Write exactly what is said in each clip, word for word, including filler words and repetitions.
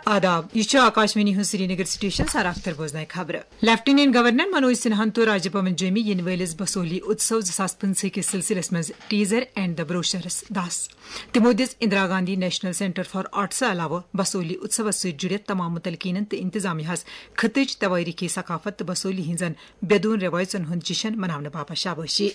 آداب، یہِ چھُ آکاشوانی ہُنٛد سرینگر سٹیشن۔ سر اختر بوزناے خبرٕ۔ لیفٹیننٹ گورنر منوج سنہاہن تہٕ راجہ بھون جوٚمہِ یِنہٕ وٲلِس بسولی اتسو زٕ ساس پٕنٛژٕہ کِس سلسلس منٛز ٹیزر اینڈ دی بروشرس دس۔ تِمو دِژ Indira Gandhi national centre for arts علاوٕ بسولی اتسوس سۭتۍ جُڑِتھ تمام متعلقینن تہٕ انتظامیہ ہس خطٕچ توٲریخی ثقافت تہٕ بسولی ہٕنٛزن بیدون رٮ۪وایژن ہُنٛد جشن مناونہٕ باپتھ شابٲشی۔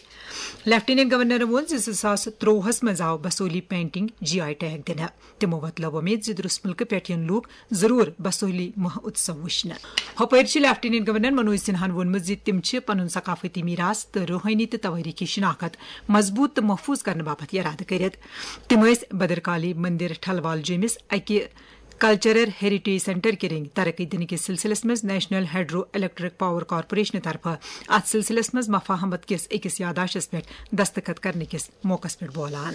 لیفٹیننٹ گورنرن ووٚن زِ زٕ ساس ترٛۆوُہس منٛز آو بسولی پینٹنگ جی آئی ٹیگ دِنہٕ۔ تِمو وۄتلٲو وۄمید زِ روٚس مُلکہٕ پٮ۪ٹھ یِن لوٗکھ ضروٗر بسولی مہا اتسو وٕچھنہٕ۔ ہۄپٲرۍ چھِ لیفٹیننٹ گورنر منوج سنہاہن ووٚنمُت زِ تِم چھِ پنُن ثقافتی میراث تہٕ روحٲنی تہٕ توٲریخی شناخت مضبوٗط تہٕ محفوٗظ کرنہٕ باپتھ یرادٕ کٔرِتھ۔ تِم ٲسۍ بدرکالی مندر ٹھلوال جوٚمِس اکہِ کلچرل ہیریٹیج سینٹر کہِ رٔنگۍ ترقی دِنہٕ کِس سلسلس منٛز national hydro electric power corporation طرفہٕ اتھ سلسلس منٛز مفاہمت کِس أکِس یادداشتس پٮ۪ٹھ دستخط کرنہٕ کِس موقعس پٮ۪ٹھ بولان۔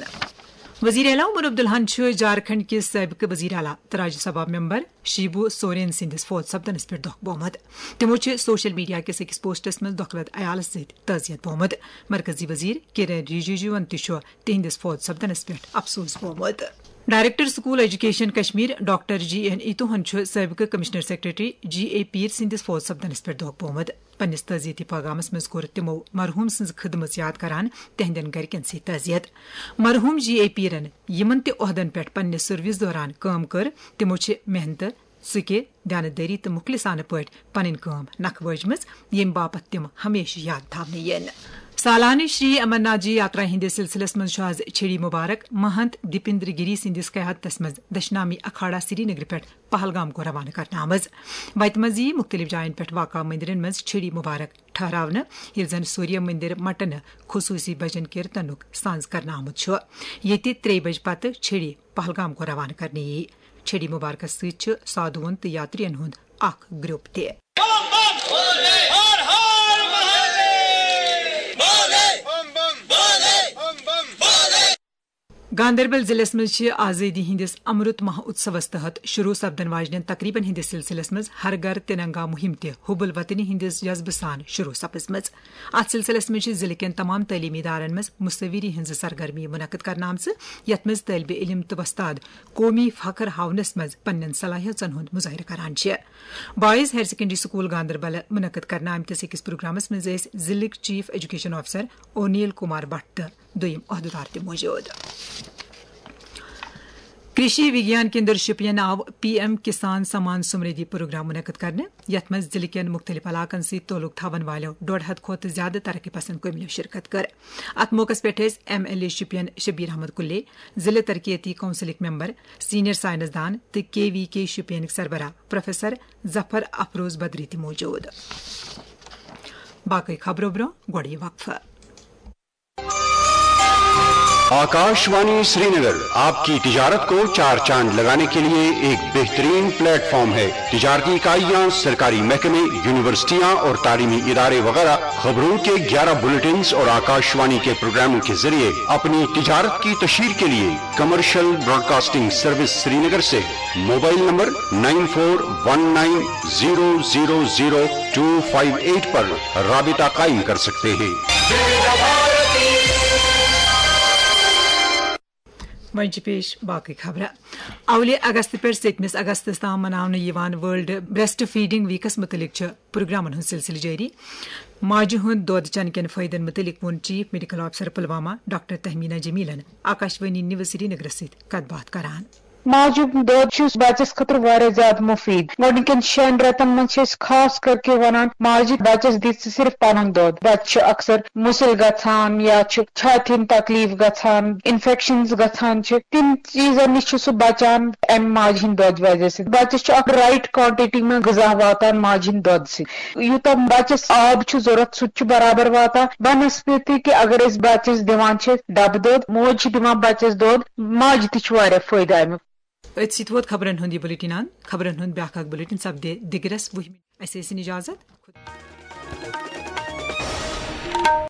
وزیر اعلیٰ عمر عبداللہن چھُ جھارکھنڈ کِس سٲبقہٕ وزیر اعلیٰ تہٕ راجیہ سبھا ممبر شیبو سورین سٕنٛدِس فوت سپدنس پٮ۪ٹھ دۄکھ بومُت۔ تِمو چھِ سوشل میڈیا کِس أکِس پوسٹس منٛز دۄکھلت عیالس سۭتۍ تعزیت بومُت۔ مرکزی وزیر کرن رجیجوَن تہِ چھُ تِہنٛدِس فوت سپدنس پٮ۪ٹھ افسوس بومُت۔ Director school education Kashmir doctor G N ایتوہن چھُ سٲبقہٕ commissioner secretary G A Peer سٕنٛدِس فوت سپدنس پٮ۪ٹھ دۄکھ بومُت۔ پننِس تعزیتی پیغامس منٛز کوٚر تِمو مرحوم سٕنٛز خدمژ یاد کران تِہنٛدٮ۪ن گرِکٮ۪ن سۭتۍ تعزیت۔ مرحوم جی اے پیرن یِمن تہِ عہدن پٮ۪ٹھ پننہِ سروس دوران کٲم کٔر، تِمو چھِ محنتہٕ، ژُکہِ، دیانتدٲری تہٕ مخلصانہٕ پٲٹھۍ پنٕنۍ کٲم نکھٕ وٲجمٕژ، ییٚمہِ باپتھ تِم ہمیشہٕ یاد تھاونہٕ یِن۔ سالانہٕ شری امرناتھ جی یاترا ہٕنٛدِس سلسلس منٛز چھُ آز چھڑی مبارک مہنت دیپندر گری سٕنٛدِس قیادتس منٛز دشنامی اکھاڑا سرینگرٕ پٮ۪ٹھ پہلگام کُن روانہٕ کرنہٕ آمٕژ۔ وتہِ منٛز یِیہِ مُختٔلِف جاین پٮ۪ٹھ واقع مندرن منٛز چھڑی مبارک ٹھہراونہٕ، ییٚلہِ زن سوریہ مندر مٹنہٕ خصوٗصی بجن کیرتنُک سانز کرنہٕ آمُت چھُ، ییٚتہِ ترٛیٚیہِ بجہِ پتہٕ چھڑی پہلگام کُن روانہٕ کرنہٕ یِیہِ۔ چھڑی مبارکس سۭتۍ چھُ سادھوٗوَن تہٕ یاترین ہُنٛد اکھ گروپ تہِ۔ گاندربل ضلعس منٛز چھِ آزٲدی ہٕنٛدِس امرت مہوتسوس تحت شروع سپدن واجنٮ۪ن تقریبن ہٕنٛدِس سلسلس منٛز ہر گھر ترنگا مہم تہِ حب الوطنی ہٕنٛدِس جذبہٕ سان شروع سپٕزمٕژ۔ اتھ سلسلس منٛز چھِ ضلعہٕ کٮ۪ن تمام تعلیمی ادارن منٛز مصوری ہٕنٛز سرگرمی منعقد کرنہٕ آمژٕ، یتھ منٛز طٲلبِ علم تہٕ وۄستاد قومی فخر ہاونس منٛز پننٮ۪ن صلاحیژن ہُنٛد مظٲہرٕ کران چھِ۔ Boys higher secondary school Ganderbal منعقد کرنہٕ آمتِس أکِس پروگرامس منٛز ٲسۍ ضلعٕکۍ chief education officer Aneel Kumar Bhat تہٕ دوٚیِم عہدٕدار تہِ موجود۔ کرشی وگیان کیندر شُپین آو P M Kisan Samman Samriddhi programme منعقد کرنہٕ، یتھ منٛز ضلعہٕ کٮ۪ن مُختٔلِف علاقن سۭتۍ تعلق تھاون والٮ۪و ڈۄڈ ہتھ کھۄتہٕ زیادٕ ترقی پسند کٲمِلٮ۪و شرکت کٔر۔ اتھ موقعس پٮ۪ٹھ ٲسۍ M L A Shopian Shabir Ahmad Kullay, ضلعہٕ ترقیتی کونسلٕکۍ ممبر، سینئر سائنسدان تہٕ کے وی کے شُپینٕکۍ سربراہ پروفیسر ظفر افروز بدری تہِ موجود۔ باقٕے خبرو برٛونٛہہ گۄڈٕ یہِ وقفہٕ۔ आकाशवाणी श्रीनगर आपकी तिजारत को चार चांद लगाने के लिए एक बेहतरीन प्लेटफॉर्म है। तिजारती इकाइयां, सरकारी महकमे, यूनिवर्सिटियां और तालीमी इदारे वगैरह खबरों के ग्यारह बुलेटिन्स और आकाशवाणी के प्रोग्रामों के जरिए अपनी तिजारत की तशहीर के लिए कमर्शियल ब्रॉडकास्टिंग सर्विस श्रीनगर से mobile number nine four one nine zero zero zero two five eight पर राबिता कायम कर सकते हैं। وۄنۍ چھِ پیش باقٕے خبرٕ۔ اولہِ اگست پٮ۪ٹھ سٔتمِس اگستس تام مناونہٕ یِوان ورلڈ بریسٹ فیڈنگ ویکس مُتعلق چھُ پروگرامن ہُنٛد سلسلہٕ جٲری۔ ماجہِ ہُنٛد دۄد چنہٕ کٮ۪ن فٲیدن مُتعلق ووٚن chief medical officer Pulwama doctor Tahmina جمیلن آکاشوانی نیوز سرینگرس سۭتۍ کتھ باتھ کران۔ ماجہِ ہُنٛد دۄد چھُ بچس خٲطرٕ واریاہ زیادٕ مُفیٖد۔ گۄڈٕنِکٮ۪ن شٮ۪ن رٮ۪تن منٛز چھِ أسۍ خاص کر کہِ ونان، ماجہِ بچس دِ ژٕ صرف پنُن دۄد۔ بچہِ چھِ اکثر مُسِل گژھان یا چھِ چھاتہِ ہٕنٛدۍ تکلیف گژھان، انفیکشنز گژھان چھِ، تِم چیٖزن نِش چھُ سُہ بچان امہِ ماجہِ ہٕنٛدِ دۄدٕ وجہ سۭتۍ۔ بچس چھُ اکھ رائٹ کوانٹٹی منٛز غذا واتان ماجہِ ہٕنٛدِ دۄدٕ سۭتۍ۔ یوٗتاہ بچس آب چھُ ضروٗرت، سُہ تہِ چھُ برابر واتان، بنسبتہِ کہِ اگر أسۍ بچس دِوان چھِ ڈبہٕ دۄد، موج چھِ دِوان بچس دۄد، ماجہِ تہِ چھُ واریاہ فٲیدٕ امیُک۔ أتھۍ سۭتۍ ووت خبرن ہُنٛد یہِ بُلٹن اند۔ خبرن ہُنٛد بیٛاکھ اکھ بُلٹن سپدِ دِگرس وُہمہِ۔ اسہِ ٲسِن اجازت۔